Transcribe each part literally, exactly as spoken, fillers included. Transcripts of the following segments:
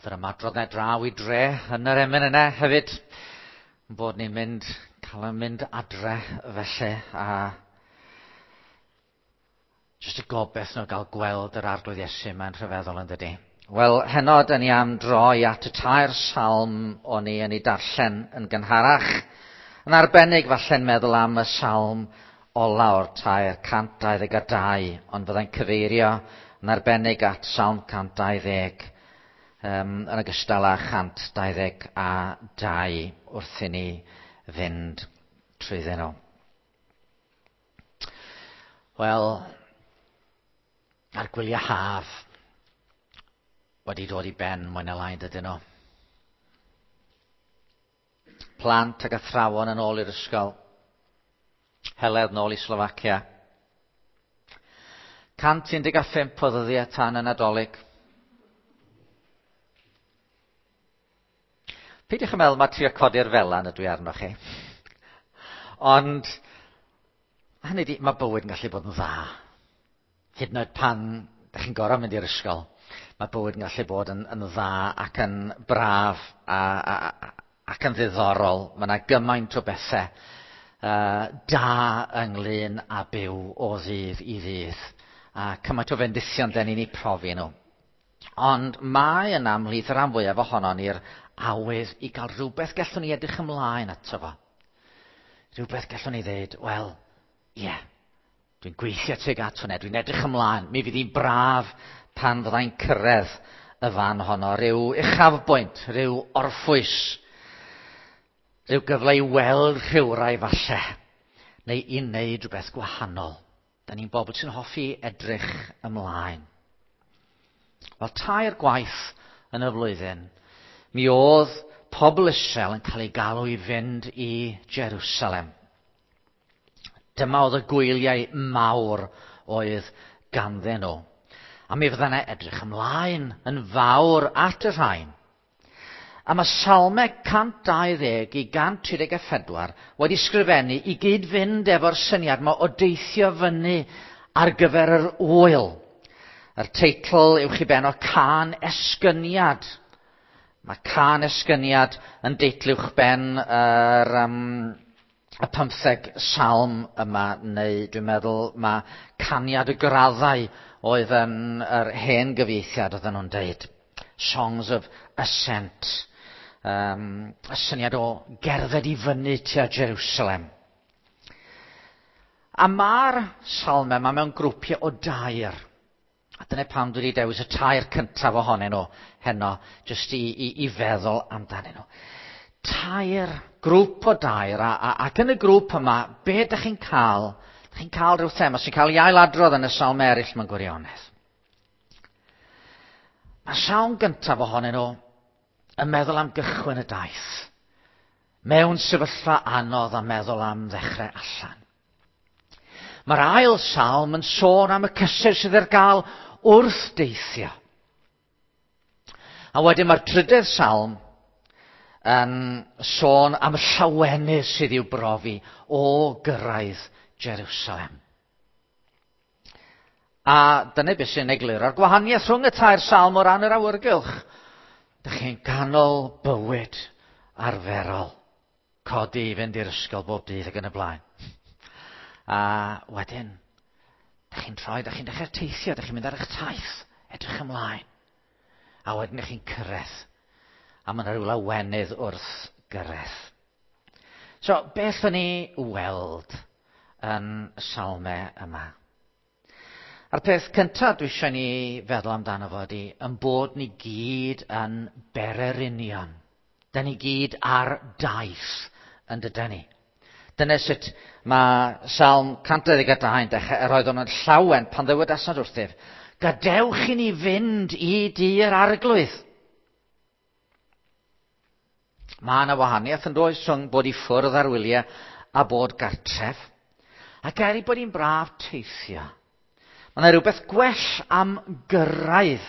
Oedd yr ymadrodd 'na draw i dre yn yr emyn yna hefyd. Bod ni'n mynd, cael yn mynd adre felly, a jyst y gobaith nhw gael gweld yr Arglwydd Iesu mae'n rhyfeddol yn dydi. Wel, heno dyn ni am droi at y tair salm o'n i yn ei darllen yn gynharach. Yn arbennig falle'n meddwl am y salm ola o'r tair cant dau ddeg a dau, ond fyddai'n cyfeirio yn arbennig at salm cant dau ddeg um, yn ogystal â chant dau ddeg a dau wrth i ni fynd trwyddyn nhw. Wel, a'r gwyliau haf wedi dod i ben mwy na lai, dydyn nhw. Plant ac athrawon yn ôl i'r ysgol. Heledd nôl i Slofacia. cant un deg pump o ddyddiau tan y Nadolig. Peidiwch yn meddwl mae trio codi'r felan ydw i arnoch chi. Ond, hynny di, mae bywyd yn gallu bod yn dda. Hyd yn oed pan ydych chi'n gorfod mynd i'r ysgol, mae bywyd yn gallu bod yn, yn dda ac yn braf a, a, ac yn ddiddorol. Mae yna gymaint o bethau uh, da ynglyn â byw o ddydd i ddydd. A cymaint o fendithion den ni'n eu profi nhw. Ond mae yna ymhlith y rhan fwyaf ohonon ni'r awydd i gael rhywbeth gallwn ni edrych ymlaen ato fo. Rhywbeth gallwn ni ddeud, wel, ie, yeah, dwi'n gweithio tuag at hwnna, dwi'n edrych ymlaen, mi fydd hi'n braf pan fyddai'n cyrraedd y fan honno, rhyw uchafbwynt, rhyw orffwys, rhyw gyfle i weld rhywrai falle, neu i wneud rhywbeth gwahanol. Da ni'n bobl sy'n hoffi edrych ymlaen. Wel, tair gwaith yn y flwyddyn, mi oedd pobl Israel yn cael ei galw i fynd i Jerusalem. Dyma oedd y gwyliau mawr oedd ganddyn nhw. A mi fydda yna edrych ymlaen yn fawr at y rhain. A mae Salmau cant dau ddeg i gant tri deg a phedwar wedi sgrifennu i gyd fynd efo'r syniad yma o deithio fyny ar gyfer yr ŵyl. Yr teitl uwch i ben o Cân Esgyniad. Mae Cân Esgyniad yn deitl uwch ben yr, um, y pymtheg salm yma, neu dwi'n meddwl mae Caniad y Graddau oedd yn yr hen gyfieithiad oedden nhw'n deud. Songs of Ascent. Um, y syniad o gerdded i fyny tua Jerusalem. A mae'r salmau yma mewn grwpiau o dair. A dyna pam dwi wedi dewis y tair cyntaf ohonyn nhw heno, jyst i, i, i feddwl amdanyn nhw. Tair, grŵp o dair, a, a, ac yn y grŵp yma, be ydych chi'n cael? Ydych chi'n cael rhyw thema sy'n cael ei ailadrodd yn y salm eraill mewn gwirionedd. Mae salm gyntaf ohonyn nhw yn meddwl am gychwyn y daith. Mewn sefyllfa anodd a meddwl am ddechrau allan. Mae'r ail salm yn sôn am y cysur sydd ar gael wrth deithio. A wedyn mae'r trydydd salm yn sôn am y llawenydd sydd i'w brofi o gyrraedd Jerusalem. A dyna beth sy'n egluro'r gwahaniaeth rhwng y tair salm o ran yr awyrgylch. Dych chi'n ganol bywyd arferol. Codi i fynd i'r ysgol bob dydd ac yn y blaen. A wedyn, dych chi'n troi, dych chi'n dechrau teithio, dych chi'n mynd ar eich taith, edrych ymlaen. A wedyn dych chi'n cyrraedd. A mae yna rhyw lawenydd wrth gyrraedd. So, beth o'n i weld yn y salmau yma? A'r peth cyntaf dwi eisiau ni feddwl amdano fo ydy, yn bod ni gyd yn bererinion. Da ni gyd ar daith yn dydan ni. Dyna sut mae Salm cant dau ddeg a dau yn dechrau, yr oedd o'n llawen pan ddywedasant wrthyf, gadewch i ni fynd i dŷ'r Arglwydd. Mae yna wahaniaeth yn does rhwng bod i ffwrdd ar wyliau a bod gartref. Ac er ei bod hi'n braf teithio, mae yna rhywbeth gwell am gyrraedd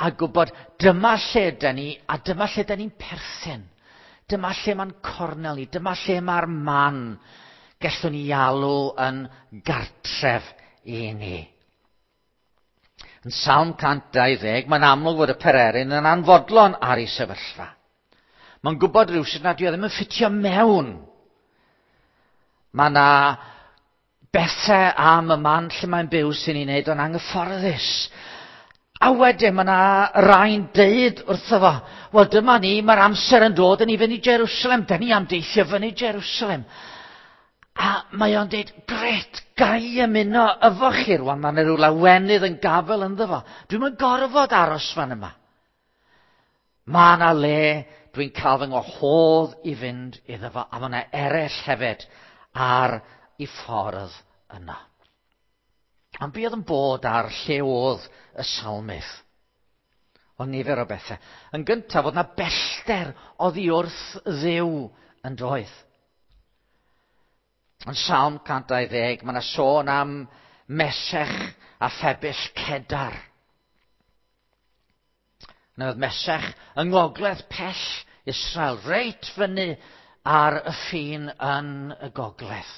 a gwybod dyma lle da ni a dyma lle da ni'n perthyn. Dyma lle mae'n cornel ni, dyma lle mae'r man gallwn ni alw yn gartref i ni. Yn Salm cant dau ddeg, mae'n amlwg fod y pererin yn anfodlon ar ei sefyllfa. Mae'n gwybod rhywsut nad yw e ddim yn ffitio mewn. Mae yna bethau am y man lle mae'n byw sy'n ei wneud o'n anghyfforddus. A wedyn mae yna rai'n deud wrtho fo, wel dyma ni, mae'r amser yn dod yn i fynd i Jerusalem, da ni am deithio fyny Jerusalem. A mae o'n deud, gret, gai ymuno efo chi rwan, mae yna rhyw lawenydd yn gafel ynddo fo. Dwi'm yn gorfod aros fan yma. Mae yna le dwi'n cael fy ngwahodd i fynd iddo fo, a mae yna eraill hefyd ar ei ffordd yna. Ond be oedd yn bod ar lle oedd y salmydd? O nifer o bethau. Yn gyntaf, oedd yna bellter oddi wrth Dduw yn doedd. Yn Salm cant dau ddeg, mae yna sôn am Mesech a phebyll Cedar. Yna oedd Mesech yng ngogledd pell Israel, reit fyny ar y ffin yn y gogledd.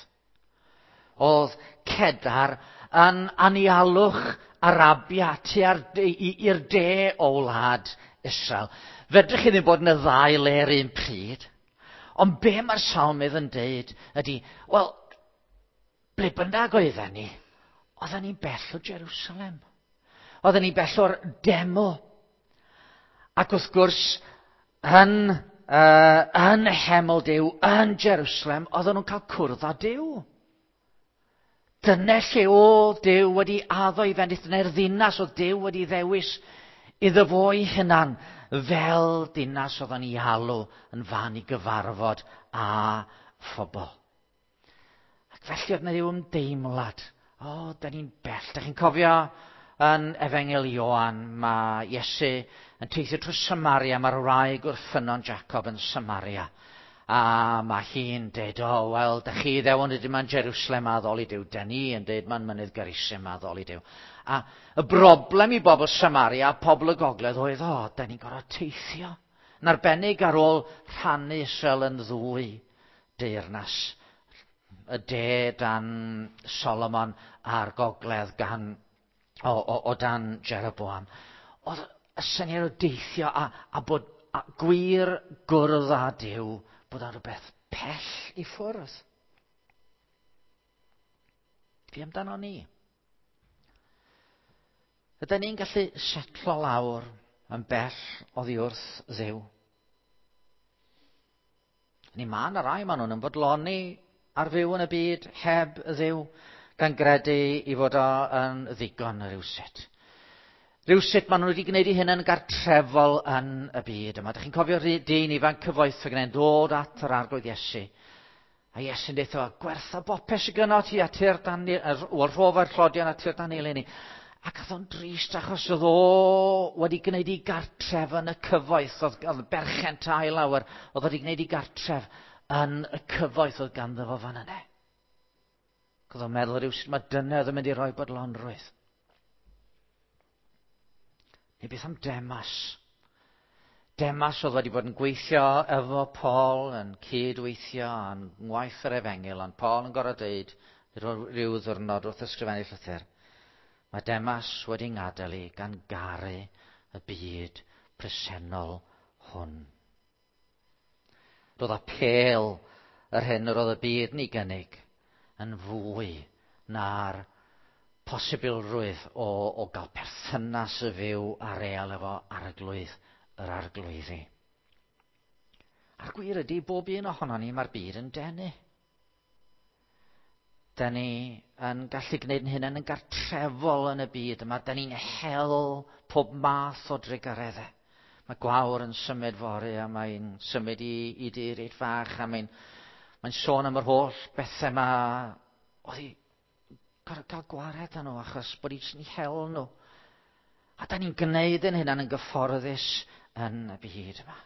Oedd Cedar yn anialwch Arabia tua'r i'r de o wlad Israel. Fedrwch chi ddim bod yn y ddau le yr un pryd. Ond be mae'r salmydd yn deud ydy, wel, ble bynnag oedden ni, oedden ni'n bell o Jerusalem. Oedden ni'n bell o'r deml. Ac wrth gwrs, yn, uh, yn heml Duw, yn Jerusalem, oedden nhw'n cael cwrdd â Duw. Dyna lle oedd Duw wedi addo i fendith, dyna'r ddinas oedd Duw wedi ddewis iddo fo ei hunan fel dinas oedd yn ei alw yn fan i gyfarfod â phobl. Ac felly oedd yna ryw ymdeimlad. O, oh, da ni'n bell. Da chi'n cofio yn Efengyl Ioan, mae Iesu yn teithio trwy Samaria, mae'r wraig wrth ffynnon Jacob yn Samaria. A mae hi'n deud, o, oh, wel, da chi ddewon ydy ma'n Jerusalem a addoli Duw. Da ni yn deud ma'n mynydd Gerizim a addoli Duw. A y broblem i bobl Samaria a pobl y gogledd oedd, o, oh, da ni'n gorfod teithio. Yn arbennig ar ôl rhannu Israel yn ddwy deyrnas. Y de dan Solomon a'r gogledd gan, o, o, o dan Jeroboam. Oedd y syniad o deithio a, a bod a gwir gwrdd â Duw, bod o'n rhywbeth pell i ffwrdd. Fi amdano ni. Ydyn ni'n gallu setlo lawr yn bell oddi wrth Dduw? Ni ma' 'na rai maen nhw'n ymfodloni ar fyw yn y byd heb Dduw, gan gredu i fod o yn ddigon rhywsut. Rhywsut maen nhw wedi gwneud eu hunain yn gartrefol yn y byd yma. Dych chi'n cofio dyn ifanc cyfoethog yn dod at yr Arglwydd Iesu. A Iesu'n deud wrtho, gwertha bopeth sydd gynno ti a tyrd dan, wel, rhofa'r tlodion a tyrd dan eleni. Ac oedd o'n drist achos oedd o wedi gwneud ei gartref yn y cyfoeth, oedd, oedd berchen tai lawer, oedd wedi gwneud ei gartref yn y cyfoeth oedd ganddo fo fan yna. Oedd o'n meddwl rhywsut mae dyna oedd yn mynd i roi bodlonrwydd. Neu beth am Demas? Demas oedd wedi bod yn gweithio efo Paul, yn cydweithio yn ngwaith yr efengyl, ond Paul yn gorfod deud rhyw ddiwrnod wrth ysgrifennu llythyr, mae Demas wedi ngadael i gan garu y byd presennol hwn. Roedd apêl yr hyn yr oedd y byd yn ei gynnig yn fwy na'r posibilrwydd o, o gael perthynas y fyw a real efo arglwydd yr arglwyddi. A'r gwir ydy, bob un ohonon ni, mae'r byd yn denu. Da ni yn gallu gwneud yn hunain yn gartrefol yn y byd yma. Da ni'n hel pob math o drugareddau. Mae gwawr yn symud fory a mae'n symud i, i dir reit fach a mae'n mae'n sôn am yr holl bethau yma. Oedd hi gorfod cael gwared â nhw achos bod hi jyst yn hel nhw. A da ni'n gwneud yn hynna'n yn gyfforddus yn y byd yma.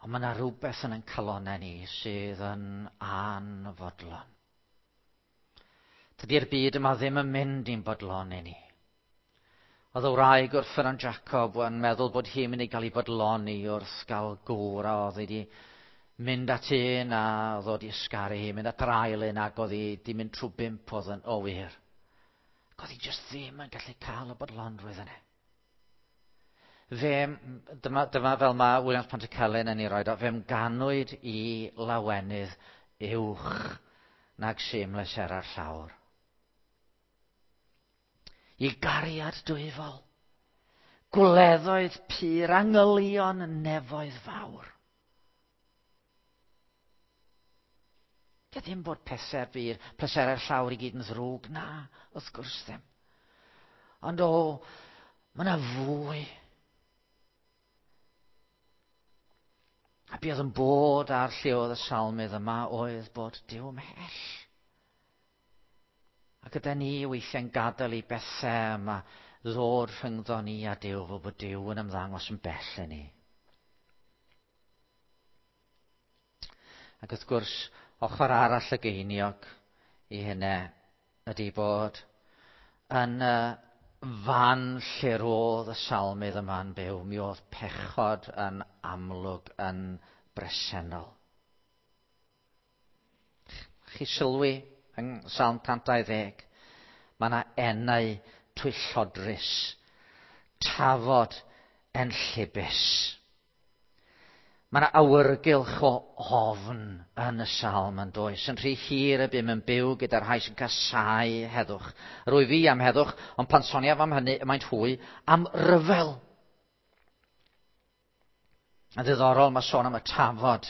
Ond mae yna rhywbeth yn ein calonnau ni sydd yn anfodlon. Dydy'r byd yma ddim yn mynd i'n bodloni ni. Oedd y wraig wrth ffynnon Jacob yn meddwl bod hi'n mynd i gael ei bodloni wrth gael gŵr a oedd wedi Mynd at un a ddod i ysgaru hi, mynd at yr ail un ac oedd hi di mynd trwy bump oedd yn o wir. Ac oedd hi jyst ddim yn gallu cael y bodlonrwydd yna. Fe, dyma, dyma fel mae Williams Pantycelyn yn ei roed o, fe'm ganwyd i lawenydd uwch nag sy'n mlesera'r llawr. I gariad dwyfol, gwleddoedd pur, angylion nefoedd fawr. Dio ddim bod pleser bur, pleserau'r llawr i gyd yn ddrwg, na, wrth gwrs ddim. Ond o, mae yna fwy. A be oedd yn bod ar lle oedd y salmydd yma oedd bod Duw ymhell. Ac ydy ni weithiau'n gadael i bethau yma ddod rhyngddo ni a Duw, fel bod Duw yn ymddangos yn bell i ni. Ac wrth gwrs, ochr arall y geiniog i hynny ydy bod yn y fan lle roedd y salmydd yma'n byw, mi oedd pechod yn amlwg yn bresennol. Chi sylwi yng Salm cant dau ddeg, mae yna enau twyllodrus, tafod enllibus. Mae yna awyrgylch o ofn yn y salm yn does. Yn rhy hir y bum yn byw gyda'r rhai sy'n casáu heddwch. Rwy fi am heddwch, ond pan soniaf am hynny, y maent hwy am ryfel. Yn ddiddorol, mae sôn am y tafod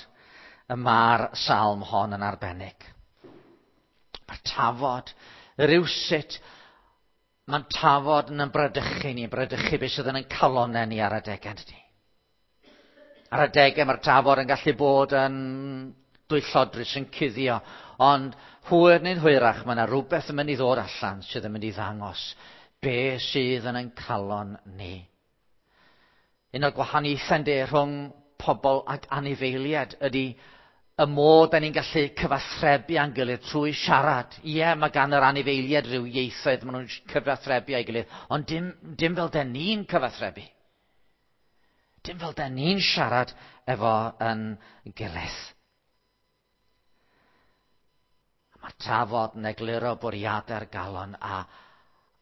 y mae'r salm hon yn arbennig. Mae'r tafod, rywsut, mae'n tafod yn ymbradychu ni, ymbradychu beth sydd yn ein calonnau ni ar adegau, dydy. Ar adegau mae'r tafod yn gallu bod yn dwyllodrus, yn cuddio, ond hwyr neu'n hwyrach mae yna rhywbeth yn mynd i ddod allan sydd yn mynd i ddangos be sydd yn ein calon ni. Un o'r gwahaniaethau de rhwng pobl ac anifeiliaid ydy y modd da ni'n gallu cyfathrebu â'n gilydd trwy siarad. Ie, mae gan yr anifeiliaid rhyw ieithoedd maen nhw'n cyfathrebu â'i gilydd, ond dim, dim fel da ni'n cyfathrebu. Dim fel da ni'n siarad efo yn gilydd. Mae tafod yn egluro bwriadau'r galon a,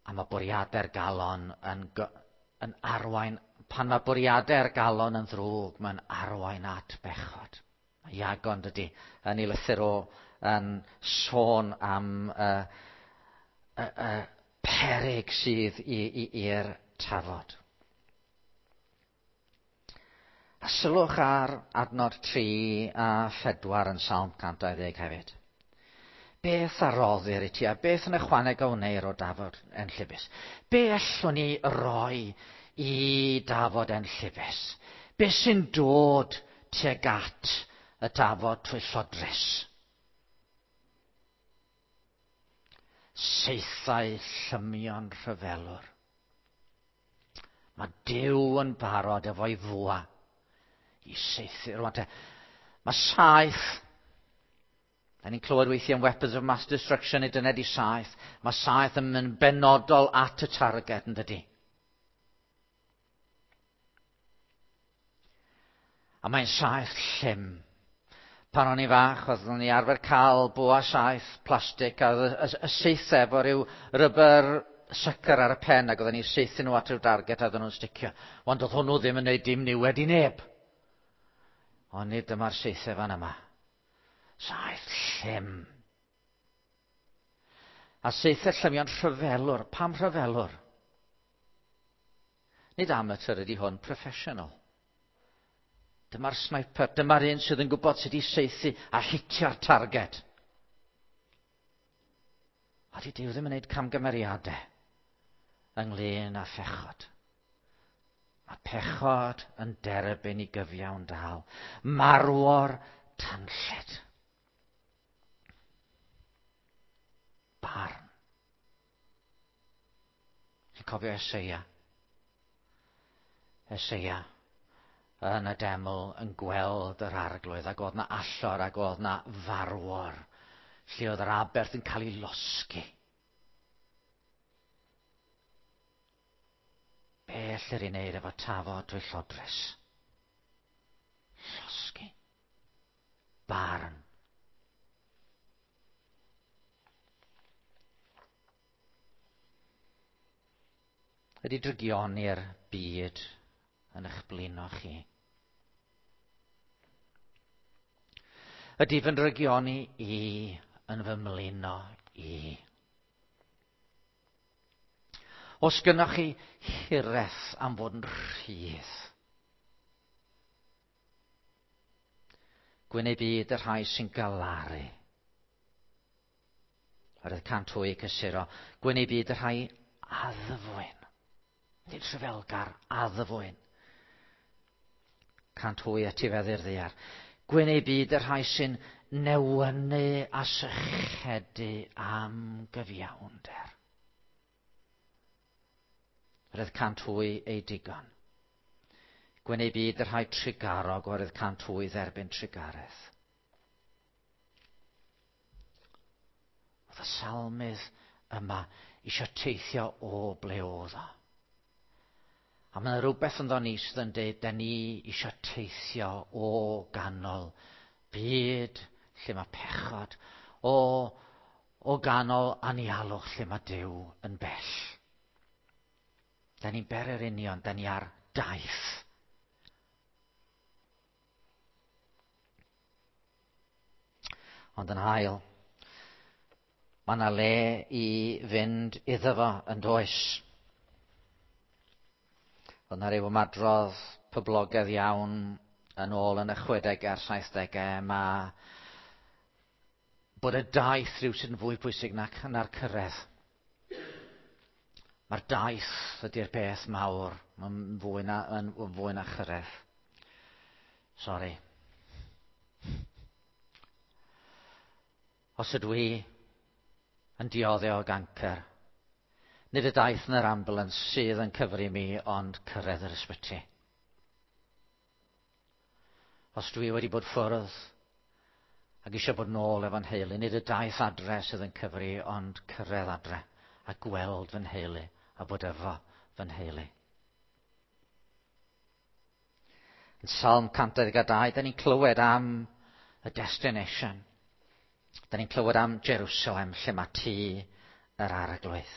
a mae bwriadau'r galon yn, yn arwain, pan mae bwriadau'r galon yn ddrwg, mae'n arwain at bechod. Mae Iagon dydy yn ei lythyr o yn sôn am y, y, y peryg sydd i'r tafod. A sylwch ar adnod tri a phedwar yn Salm cant dau ddeg hefyd. Beth a roddir i ti a beth yn ychwaneg a wneir o dafod enllibus? Be allwn ni roi i dafod enllibus? Be sy'n dod tuag at y dafod twyllodrus? Saethau llymion rhyfelwr. Mae Duw yn barod efo'i fwa i saethu. Rwan te, mae saeth, da ni'n clywed weithiau am weapons of mass destruction, neu dyna di saeth. Mae saeth yn mynd benodol at y targed, yn dydy. A mae'n saeth llym. Pan o'n i fach, oeddwn ni arfer cael bwa saeth plastig, a y, y, y saethau efo rhyw rubber sucker ar y pen, ac oedden ni'n saethu nhw at ryw darged a oedden nhw'n sticio. Ond oedd hwnnw ddim yn gwneud dim niwed i neb. Ond nid dyma'r saethau fan yma. Saeth llym. A saethau llymion rhyfelwr. Pam rhyfelwr? Nid amateur ydy hwn, professional. Dyma'r sniper, dyma'r un sydd yn gwybod sut i saethu a hitio'r targed. A di Duw ddim yn gwneud camgymeriadau ynglyn â phechod. Mae pechod yn derbyn i gyfiawn dal. Marwor tanllyd. Barn. Chi'n cofio Eseia? Eseia yn y deml yn gweld yr arglwydd, ac oedd na allor, ac oedd na farwor, lle oedd yr aberth yn cael ei losgi. Be ellir ei wneud efo tafod twyllodrus? Llosgi. Ydy drygioni'r byd yn eich blino chi? Ydy fy ndrygioni i yn fy mlino i? Os gynnoch chi hiraeth am fod yn rhydd, gwyn eu byd y rhai sy'n galaru. Oherwydd cant hwy cysuro. Gwyn eu byd y rhai addfwyn. Nid rhyfelgar, addfwyn. Cant hwy etifeddu'r ddaear. Gwyn eu byd y rhai sy'n newynu a sychedu am gyfiawnder. Oherwydd cant hwy eu digon. Gwyn eu byd y rhai trugarog, oherwydd cant hwy dderbyn trugaredd. Oedd y salmydd yma eisiau teithio o ble oedd o. A mae yna rhywbeth ynddo ni sydd yn dweud, da ni eisiau teithio o ganol byd lle mae pechod, o, o ganol anialwch lle mae Duw yn bell. Da ni'n bererinion, da ni ar daith. Ond yn ail, mae yna le i fynd iddo fo yn does. Oedd yna ryw ymadrodd poblogaidd iawn yn ôl yn y chwedegau a'r saithdegau. Mae bod y daith rhywsut yn fwy pwysig na'r, na'r cyrraedd. Mae'r daith ydy'r peth mawr. Mae'n fwy na, yn fwy na chyrraedd. Sori. Os ydw i yn dioddef o gancr, nid y daith yn yr ambulance sydd yn cyfri mi, ond cyrraedd yr ysbyty. Os dwi wedi bod ffwrdd ac eisiau bod nôl efo'n nheulu, nid y daith adre sydd yn cyfri, ond cyrraedd adre a gweld fy nheulu a bod efo fy nheulu. Yn Salm cant dau ddeg dau, da ni'n clywed am y destination. Da ni'n clywed am Jerusalem, lle mae tŷ yr Arglwydd.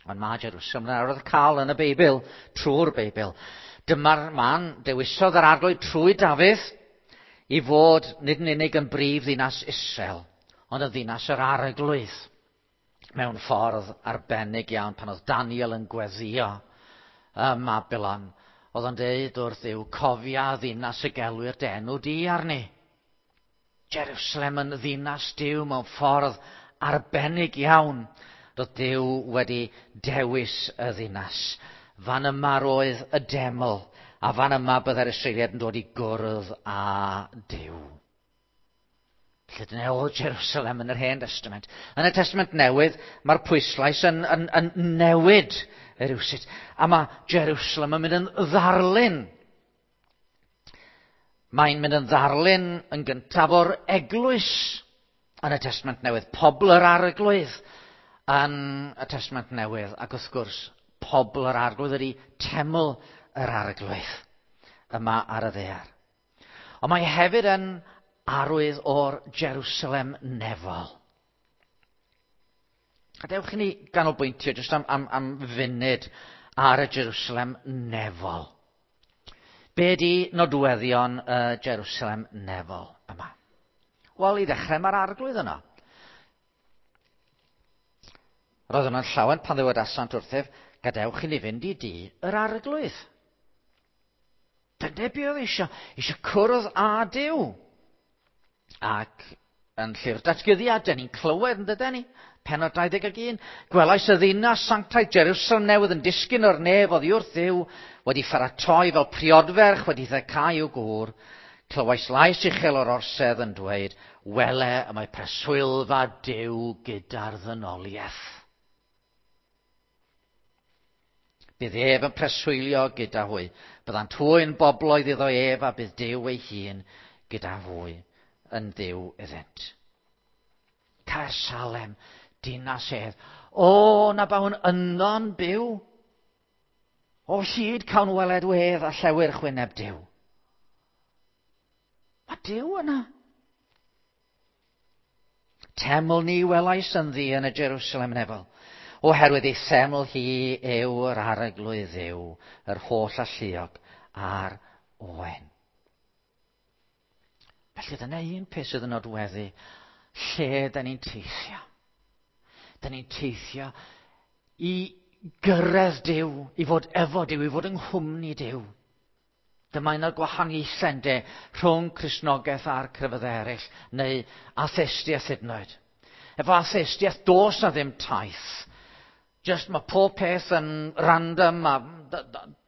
Ond mae Jerusalem yn arwydd cael yn y Beibl, trwy'r Beibl. Dyma'r man dewisodd yr Arglwydd trwy Dafydd i fod nid yn unig yn brif ddinas Israel, ond yn ddinas yr Arglwydd. Mewn ffordd arbennig iawn, pan oedd Daniel yn gweddïo ym Mabilon, oedd o'n deud wrth Dduw, cofia ddinas y gelwir dy enw di arni. Jerusalem yn ddinas Duw mewn ffordd arbennig iawn. Roedd Duw wedi dewis y ddinas. Fan yma roedd y deml, a fan yma byddai'r Israeliaid yn dod i gwrdd â Duw. Felly dyna oedd Jerusalem yn yr Hen Testament. Yn y Testament Newydd, mae'r pwyslais yn, yn, yn newid rywsut. A mae Jerusalem yn mynd yn ddarlun. Mae'n mynd yn ddarlun yn gyntaf o'r eglwys yn y Testament Newydd. Pobl yr Arglwydd yn y Testament Newydd. Ac wrth gwrs, pobl yr Arglwydd ydy teml yr Arglwydd yma ar y ddaear. Ond mae hefyd yn arwydd o'r Jerusalem nefol. A dewch i ni ganolbwyntio jyst am, am, am funud ar y Jerusalem nefol. Be di nodweddion y Jerusalem nefol yma? Wel, i ddechrau mae'r Arglwydd yno. Roedd yna'n llawen pan ddywedasant wrthyf, gadewch i ni fynd i dŷ yr Arglwydd. Dyna be oedd eisiau, eisiau cwrdd â Duw. Ac yn Llyfr Datguddiad, dyn ni'n clywed yn dydyn ni, pennod dau ddeg un, gwelais y ddinas sanctaidd Jerusalem newydd yn disgyn o'r nef oddi wrth Dduw, wedi pharatoi fel priodferch wedi ddecau i'w gŵr. Clywais lais uchel o'r orsedd yn dweud, wele y mae preswylfa Duw gyda'r ddynoliaeth. Bydd ef yn preswylio gyda hwy. Byddant hwy'n bobloedd iddo ef a bydd Duw ei hun gyda hwy yn Dduw iddynt. Caersalem, dinas hedd. O, na bawn yno'n byw. O hyd cawn weled wedd a llewyrch wyneb Duw. Mae Duw yna. Teml ni welais ynddi yn y Jerusalem nefol. Oherwydd ei seml hi yw yr arglwydd Dduw, yr holl alluog a'r oen. Felly dyna un peth sydd yn nodweddu lle da ni'n teithio. Da ni'n teithio i gyrraedd Duw, i fod efo Duw, i fod yng nghwmni Duw. Dyma un o'r gwahaniaethau ynde rhwng Cristnogaeth a'r crefyddau eraill, neu atheistiaeth hyd yn oed. Efo atheistiaeth, does na ddim taith. Just mae pob peth yn random, a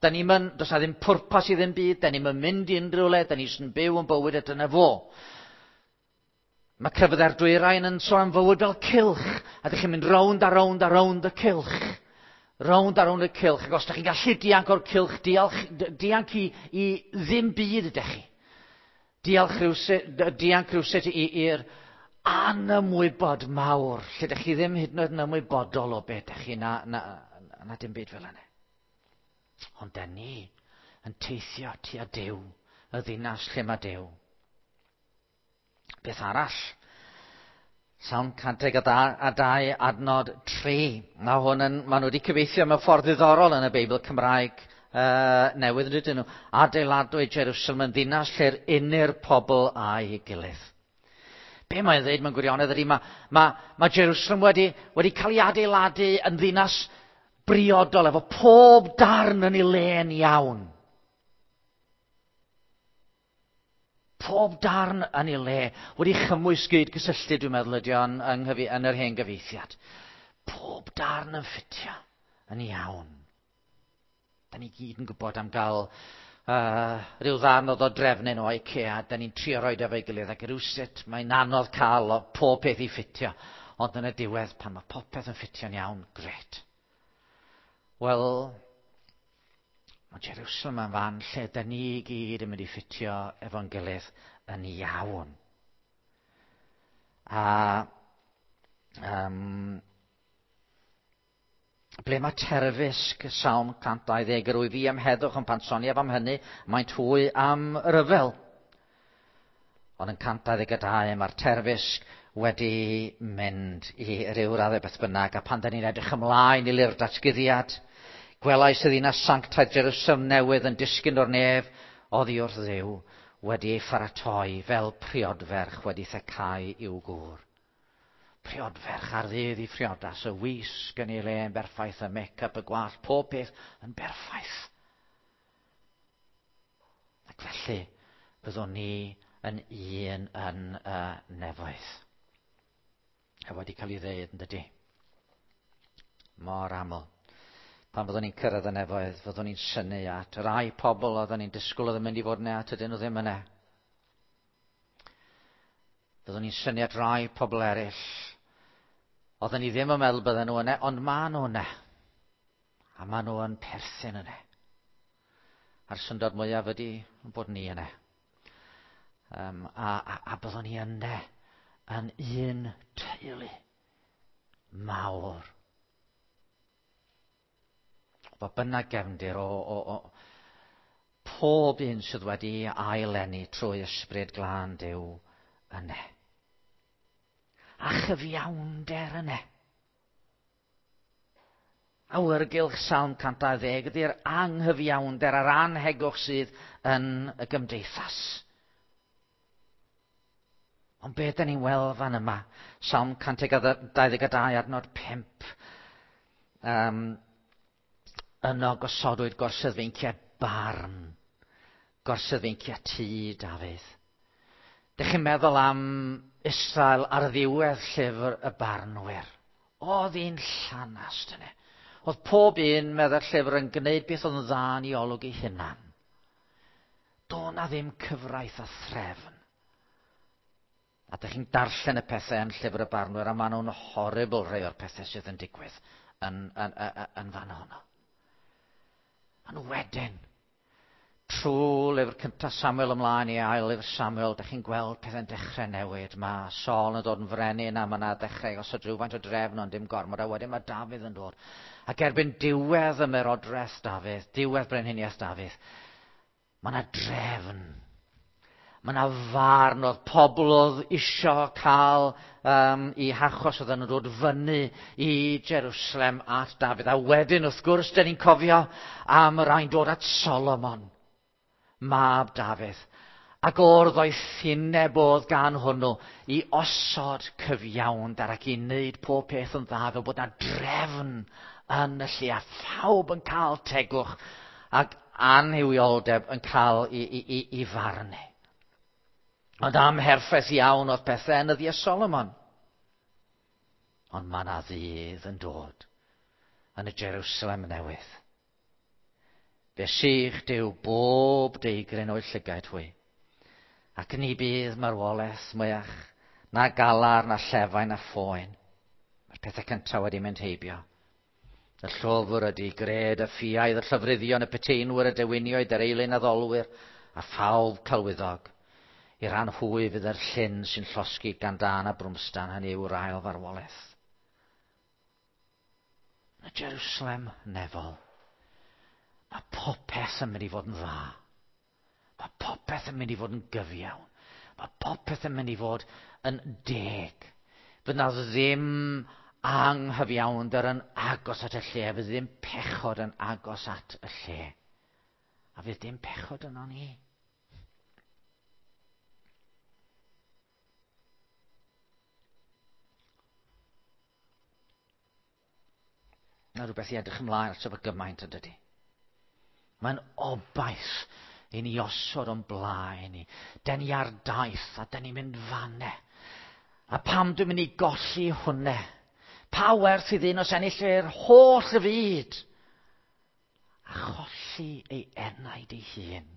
da ni'n mynd, does na ddim pwrpas i ddim byd, da ni'n mynd i unrhyw le, da ni jyst yn byw yn bywyd a dyna fo. Mae crefyddau'r dwyrain yn sôn am fywyd fel cylch, a ydych chi'n mynd rownd a rownd a rownd y cylch. Rownd a rownd y cylch, ac os ydych chi'n gallu dianc o'r cylch, diolch, dianc i, i ddim byd ydych chi. Diolch rhywsut, dianc rhywsut i'r anymwybod mawr, lle ydych chi ddim hyd yn oed yn ymwybodol o beth ydych chi, na, na, na dim byd fel yna. Ond da ni yn teithio tua Duw, y ddinas lle mae Duw. Beth arall? Salm cant deg a dau adnod tri. Mae hwn yn, maen nhw wedi cyfieithu mewn ffordd ddiddorol yn y Beibl Cymraeg uh, newydd, yn dydyn nhw. Adeiladwyd Jerusalem yn ddinas lle'r unir pobl a'i gilydd. Be mae'n dweud mewn gwirionedd ydy, mae, mae, mae Jerusalem wedi, wedi cael ei adeiladu yn ddinas briodol, efo pob darn yn ei le'n iawn. Pob darn yn ei le, wedi chymwys gyd gysylltu, dwi'n meddwl ydy o'n yng, yn yr hen gyfieithiad. Pob darn yn ffitio yn iawn. Da ni gyd yn gwybod am gael uh, rhyw ddarn o ddodrefnyn o IKEA, da ni'n trio roed efo'i gilydd ac rywsut mae'n anodd cael o pob peth i ffitio. Ond yn y diwedd, pan mae popeth yn ffitio'n iawn, gret. Wel, mae Jerusalem yn fan lle da ni gyd yn mynd i ffitio efo'n gilydd yn iawn. A um, ble mae terfysg Salm cant dau ddeg, yr wyf fi am heddwch yn pan soniaf am hynny, maent hwy am ryfel. Ond yn cant dau ddeg a dau mae'r terfysg wedi mynd i ryw raddau beth bynnag, a pan da ni'n edrych ymlaen i lyfr datguddiad, gwelais y ddinas sanctaidd Jerusalem newydd yn disgyn o'r nef oddi wrth Dduw, wedi ei pharatoi fel priodferch wedi thecau i'w gŵr. Priodferch ar ddydd i phriodas, y wisg yn ei le yn berffaith, y make-up, y gwallt, pob peth yn berffaith. Ac felly, byddwn ni yn un yn y nefoedd. A wedi cael ei ddeud yn dydy. Mor aml. Pan fyddwn ni'n cyrraedd y nefoedd, fyddwn ni'n synnu at rai pobl oedden ni'n disgwyl oedd yn mynd i fod yna, tydyn nhw ddim yna. Fyddwn ni'n synnu at rai pobl eraill. Oedden ni ddim yn meddwl bydden nhw yna, ond maen nhw yna. A maen nhw yn perthyn yna. A'r syndod mwyaf ydy bod ni yna. Um, a, a, a byddwn ni yna yn un teulu mawr. Bo bynnag gefndir o, o, o pob un sydd wedi aileni trwy ysbryd glân Duw yna. A chyfiawnder yna. Awyrgylch Salm cant dau ddeg ydy'r anghyfiawnder a'r anhegwch sydd yn y gymdeithas. Ond beth da ni'n weld fan yma? Salm cant dau ddeg a dau adnod pump. Um, yno gosodwyd gorseddfeinciau barn. Gorseddfeinciau tŷ Dafydd. Dych chi'n meddwl am Israel ar ddiwedd llyfr y barnwyr. Oedd hi'n llanast yna. Oedd pob un, meddai'r llyfr, yn gwneud beth oedd yn dda yn ei olwg ei hunan. Do na ddim cyfraith a threfn. A dych chi'n darllen y pethau yn llyfr y barnwyr, a maen nhw'n horrible rhai o'r pethau sydd yn digwydd yn, yn, yn, yn fan honno. Ond wedyn, trwy lyfr cyntaf Samuel ymlaen i ail lyfr Samuel, dych chi'n gweld pethau'n dechrau newid. Mae Saul yn dod yn frenin a mae yna dechrau gosod rhywfaint o drefn, ond dim gormod, a wedyn mae Dafydd yn dod. Ac erbyn diwedd ymerodraeth Dafydd, diwedd brenhiniaeth Dafydd, mae yna drefn. Mae yna farn oedd pobl oedd isio cael um, i hachos oedden nhw'n dod fyny i Jerusalem at Dafydd. A wedyn, wrth gwrs, dyn ni'n cofio am y rhain dod at Solomon, mab Dafydd. Ac o'r ddoethineb oedd gan hwnnw i osod cyfiawnder ac i wneud pob peth yn dda fel bod yna drefn yn y lle a phawb yn cael tegwch ac anhuwioldeb yn cael i, i, i, i farnu. Ond amherffaith iawn oedd pethau yn nyddiau Solomon. Ond mae yna ddydd yn dod yn y Jerusalem newydd. Fe sych Duw bob deigryn o'i llygaid hwy. Ac ni bydd marwolaeth mwyach, na galar, na llefain, na phoen. Mae'r pethau cyntaf wedi mynd heibio. Y llofr ydy gred, y ffiaidd, y llofruddion, y peteinwyr, y dewinioedd, yr eilun addolwyr, a phawb celwyddog. I ran hwy fydd yr llyn sy'n llosgi gan dân a brwmstan, hynny yw'r ail farwolaeth. Yn y Jerusalem nefol, mae popeth yn mynd i fod yn dda. Mae popeth yn mynd i fod yn gyfiawn. Mae popeth yn mynd i fod yn deg. Fydd na ddim anghyfiawnder yn agos at y lle. Fydd ddim pechod yn agos at y lle. A fydd dim pechod yno ni. Na rhywbeth i edrych ymlaen ato fo gymaint yn dydy. Mae'n obaith i ni osod o'n blaen ni. Den ni ar daith a den ni'n mynd fanne. A pam dwi'n mynd i golli hwnne? Pa werth i ddyn os ennill yr holl y fyd? A cholli ei enaid ei hun.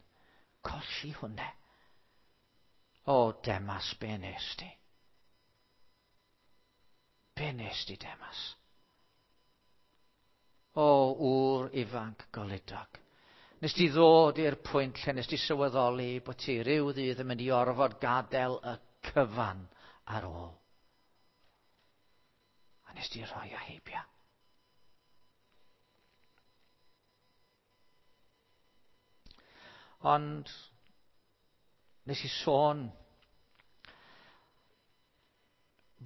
Colli hwnne. O, Demas, be nes di? Be nes di, Demas? O, ŵr ifanc goludog. Nes di ddod i'r pwynt lle nes di sylweddoli bod ti ryw ddydd yn mynd i orfod gadael y cyfan ar ôl. A nes di rhoi o heibio. Ond nes i sôn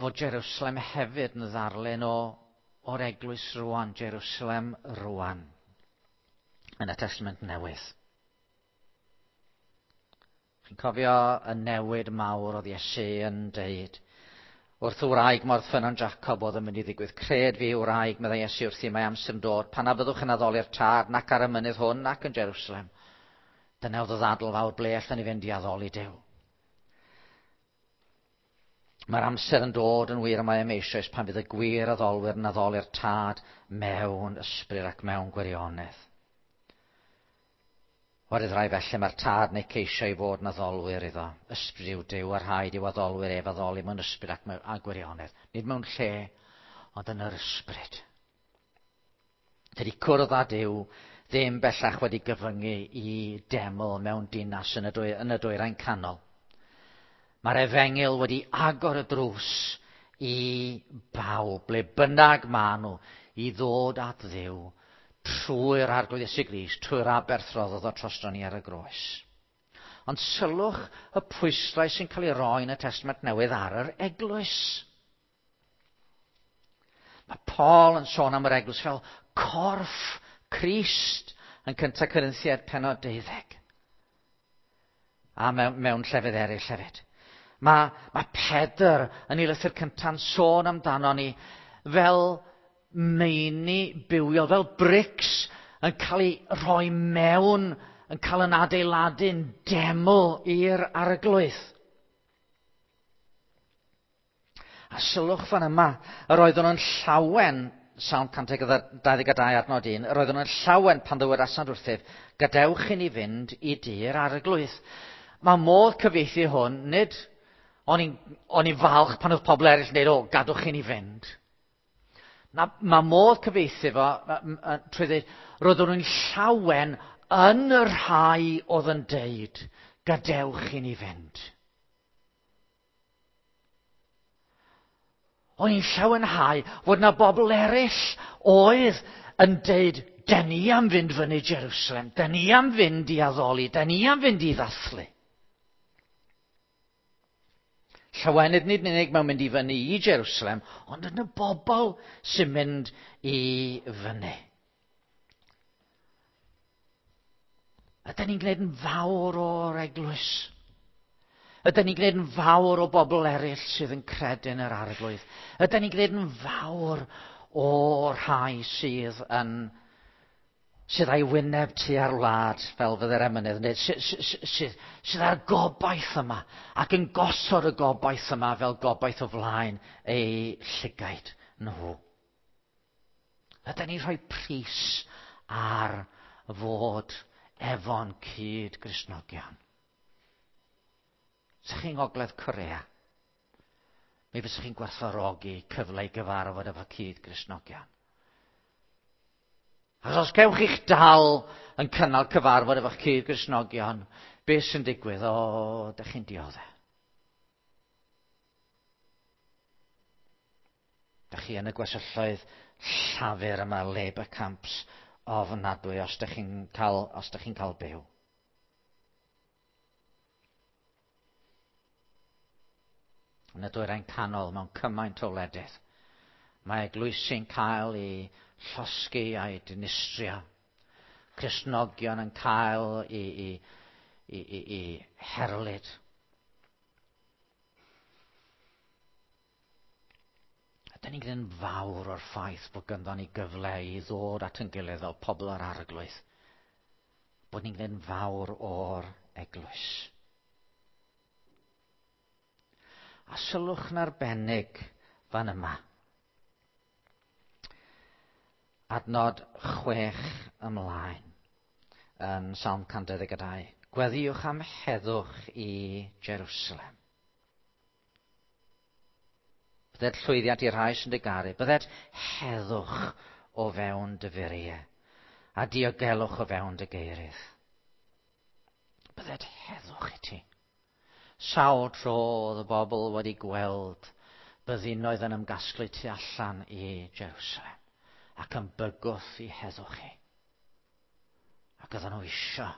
fod Jerusalem hefyd yn ddarlun o o'r eglwys rwan, Jerusalem rwan, yn y Testament Newydd. Chi'n cofio y newid mawr oedd Iesu yn deud wrth y wraig mor ffynnon Jacob oedd yn mynd i ddigwydd. Cred fi wraig, meddai Iesu wrthi, mae amser yn dod, pan na fyddwch yn addoli'r Tad, nac ar y mynydd hwn, nac yn Jerusalem. Dyna oedd y ddadl fawr, ble allan ni fynd i addoli Duw. Mae'r amser yn dod yn wir y mae am eisoes pan fydd y gwir addolwyr yn addoli'r Tad mewn ysbryd ac mewn gwirionedd. Oherwydd rai felly mae'r Tad neu ceisio i fod yn addolwyr iddo. Ysbryd yw Duw a rhaid i'w addolwyr ef addoli mewn ysbryd ac mewn a gwirionedd. Nid mewn lle, ond yn yr ysbryd. Dydy cwrdd â Duw ddim bellach wedi gyfyngu i deml mewn dinas yn y, dwy, yn y dwyrain canol. Mae'r efengyl wedi agor y drws i bawb, ble bynnag maen nhw, i ddod at Dduw trwy'r Arglwydd Iesu Grist, trwy'r aberth roddodd o drosto ni ar y groes. Ond sylwch y pwyslais sy'n cael ei roi yn y Testament Newydd ar yr eglwys. Mae Paul yn sôn am yr eglwys fel corff Crist yn cyntaf Corinthiaid pennod deuddeg. A mewn, mewn llefydd eraill hefyd. Mae, mae Pedr yn ei lythyr cynta'n sôn amdano ni fel meini bywiol, fel brics yn cael ei rhoi mewn, yn cael yn adeiladu'n deml i'r Arglwydd. A sylwch fan yma, yr oeddwn yn llawen, Salm cant dau ddeg dau adnod un, yr oeddwn yn llawen pan ddywedasant wrthyf, gadewch i ni fynd i dŷ'r Arglwydd. Mae modd cyfieithu hwn, nid o'n i'n, o'n i'n falch pan oedd pobl eraill yn dweud, o, gadwch i ni fynd. Na, mae modd cyfieithu fo trwy ddweud, roeddwn nhw'n llawen yn y rhai oedd yn deud, gadewch i ni fynd. O'n i'n llawenhau fod na bobl eraill oedd yn deud, den ni am fynd fyny Jerusalem, den ni am fynd i addoli, den ni am fynd i ddathlu. Llawenydd nid yn unig mewn mynd i fyny i Jerusalem, ond yn y bobl sy'n mynd i fyny. Ydyn ni'n gwneud yn fawr o'r eglwys? Ydyn ni'n gwneud yn fawr o bobl eraill sydd yn credu yn yr Arglwydd? Ydyn ni'n gwneud yn fawr o'r rhai sydd yn sydd â'i wyneb tua'r wlad, fel fydde'r emynydd yn dweud, sydd, sydd, sydd â'r gobaith yma, ac yn gosod y gobaith yma fel gobaith o flaen ei llygaid nhw. Ydyn ni'n rhoi pris ar fod efo'n cyd Gristnogion? Sa'ch chi'n Ngogledd Corea, mi fysach chi'n gwerthfawrogi cyfle i gyfarfod efo cyd Gristnogion. Achos os cewch chi'ch dal yn cynnal cyfarfod efo'ch cyd Gristnogion, beth sy'n digwydd? O, dych chi'n dioddef. Dych chi yn y gwersylloedd llafur yma, labour camps ofnadwy, os dych chi'n cael, os dych chi'n cael byw. Yn y dwyrain canol mewn cymaint o wledydd, mae eglwysi'n cael ei llosgi a'i dinistrio. Cristnogion yn cael ei, ei, ei, ei, ei herlid. A dyn ni'n gwneud yn fawr o'r ffaith bod ganddo ni gyfle i ddod at ein gilydd fel pobl yr Arglwydd. Bod ni'n gwneud yn fawr o'r eglwys. A sylwch yn arbennig fan yma. Adnod chwech ymlaen yn Salm cant dau ddeg a dau. Gweddïwch am heddwch i Jerusalem. Bydded llwyddiant i'r rhai sy'n dy garu. Bydded heddwch o fewn dy furiau a diogelwch o fewn dy geirydd. Bydded heddwch i ti. Sawl tro oedd y bobl wedi gweld byddinoedd yn ymgasglu tu allan i Jerusalem ac yn bygwth i heddwch hi. Ac oedden nhw isio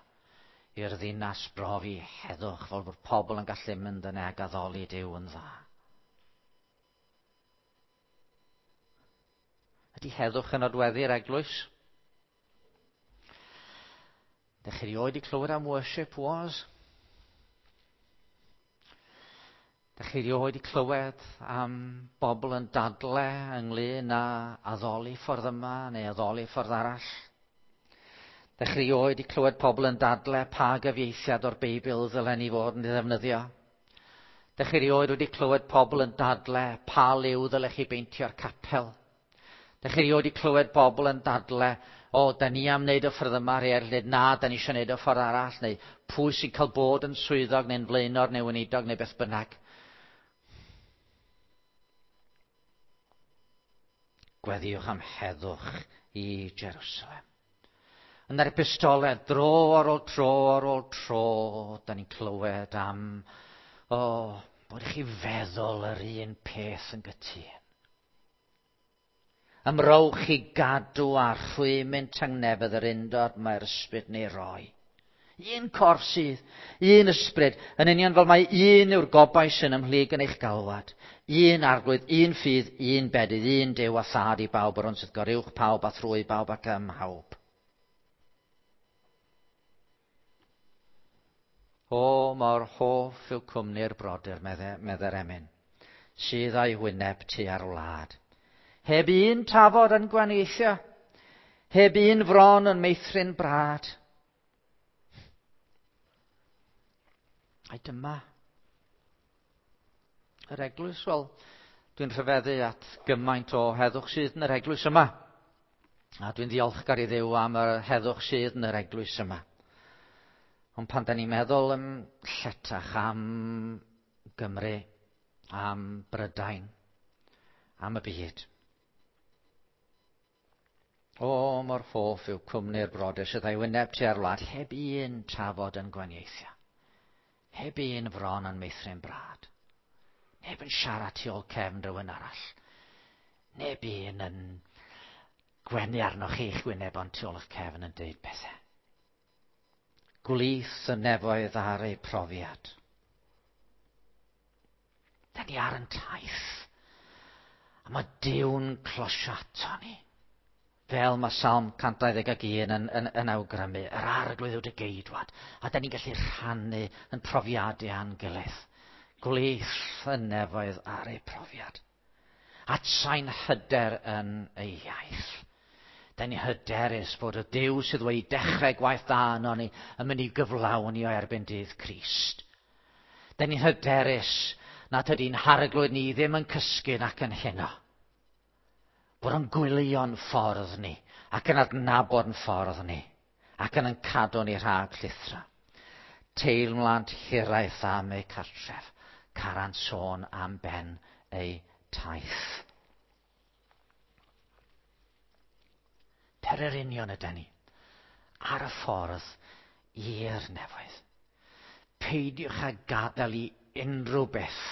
i'r ddinas brofi heddwch fel bod pobl yn gallu mynd yna ac addoli Duw yn dda. Ydy heddwch yn nodweddu'r eglwys? Dych chi erioed 'di clywed am worship wars? Dych chi erioed 'di clywed am bobl yn dadle ynglyn â addoli ffordd yma neu addoli ffordd arall? Dych chi erioed 'di clywed pobl yn dadle pa gyfieithiad o'r Beibl ddylen ni fod yn ei ddefnyddio? Dych chi erioed wedi clywed pobl yn dadle pa liw ddylech chi beintio'r capel? Dych chi erioed wedi clywed pobl yn dadle, o, da ni am wneud y ffordd yma, rhai eraill dweud, na, da ni eisiau wneud y ffordd arall, neu pwy sy'n cael bod yn swyddog neu'n flaenor neu weinidog neu beth bynnag. Gweddïwch am heddwch i Jerusalem. Yn yr epistolau, dro ar ôl tro ar ôl tro, da ni'n clywed am, o, bod i chi feddwl yr un peth yn gytûn. Ymrowch i gadw a rhwymyn tangnefedd yr undod mae'r ysbryd neu roi. Un corff sydd, un ysbryd, yn union fel mae un yw'r gobaith sy'n ymhlyg yn eich galwad. Un Arglwydd, un ffydd, un bedydd, un Duw a thad i bawb, yr hwn sydd goruwch pawb a thrwy bawb ac ym mhawb. O, mor hoff yw cwmni'r brodyr, medde'r emyn, sydd â'i wyneb tua'r wlad. Heb un tafod yn gwanieithio, heb un fron yn meithrin brad. Ai dyma yr eglwys? Wel, dwi'n rhyfeddu at gymaint o heddwch sydd yn yr eglwys yma. A dwi'n ddiolchgar i Dduw am yr heddwch sydd yn yr eglwys yma. Ond pan da ni'n meddwl yn lletach am Gymru, am Brydain, am y byd. O, mor hoff yw cwmni'r brodyr sydd â'i wyneb tua'r wlad, heb un tafod yn gwanieithio. Heb un fron yn meithrin brad. Neb yn siarad tu ôl cefn rhywun arall. Neb un yn gwenu arnoch chi'ch wyneb ond tu ôl eich cefn yn deud pethau. Gwlith y nefoedd ar eu profiad. Da ni ar yn taith. A mae Duw'n closio ato ni. Fel mae Salm cant dau ddeg ag un yn, yn, yn awgrymu, yr arglwydd yw dy geidwad. A da ni'n gallu rhannu yn profiadau â'n gilydd. Gwlith y nefoedd ar ei profiad. Atsain hyder yn ei iaith. Da ni hyderus bod y Duw sydd wedi dechrau gwaith da yno ni yn mynd i gyflawni o erbyn dydd Crist. Da ni'n hyderus nad ydy'n harglwydd ni ddim yn cysgu nac yn heno. Bod yn gwylio'n ffordd ni ac yn adnabod yn ffordd ni ac yn yn cadw ni rhag llithra. Teimlant hiraeth am eu cartref, carant sôn am ben eu taith. Pererinion ydy ni ar y ffordd i'r nefoedd. Peidiwch â gadael i unrhyw beth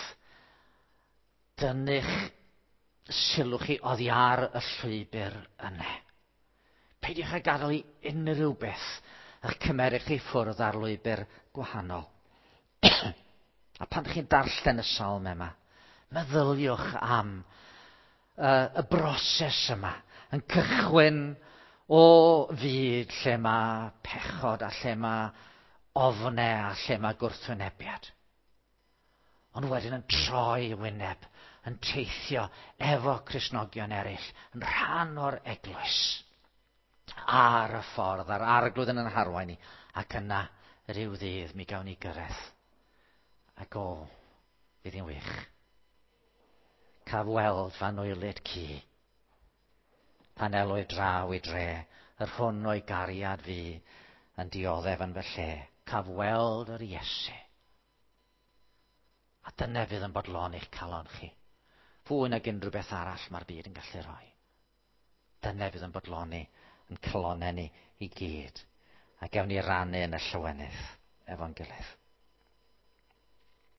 dynnu'ch sylw chi oddi ar y llwybr yna. Peidiwch â gadael i unrhyw beth eich cymeryd chi ffwrdd ar lwybr gwahanol. A pan chi'n darllen y salm yma, meddyliwch am uh, y broses yma yn cychwyn o fyd lle mae pechod a lle mae ofnau a lle mae gwrthwynebiad. Ond wedyn yn troi wyneb, yn teithio efo Cristnogion eraill, yn rhan o'r eglwys, ar y ffordd, a'r arglwydd yn yn harwain ni, ac yna rhyw ddydd mi gawn ni gyrraedd. Ac o, fydd hi'n wych. Caf weld fan oelyd ci, pan elwyd draw i dre, yr hwn o'i gariad fi yn dioddef yn fy lle. Caf weld yr Iesu. A dyna fydd yn bodlon eich calon chi. Fwy nag unrhyw beth arall mae'r byd yn gallu rhoi. Dyna fydd yn bodloni yn calonau ni i gyd. A gewn ni rannu yn y llawenydd efo'n gilydd.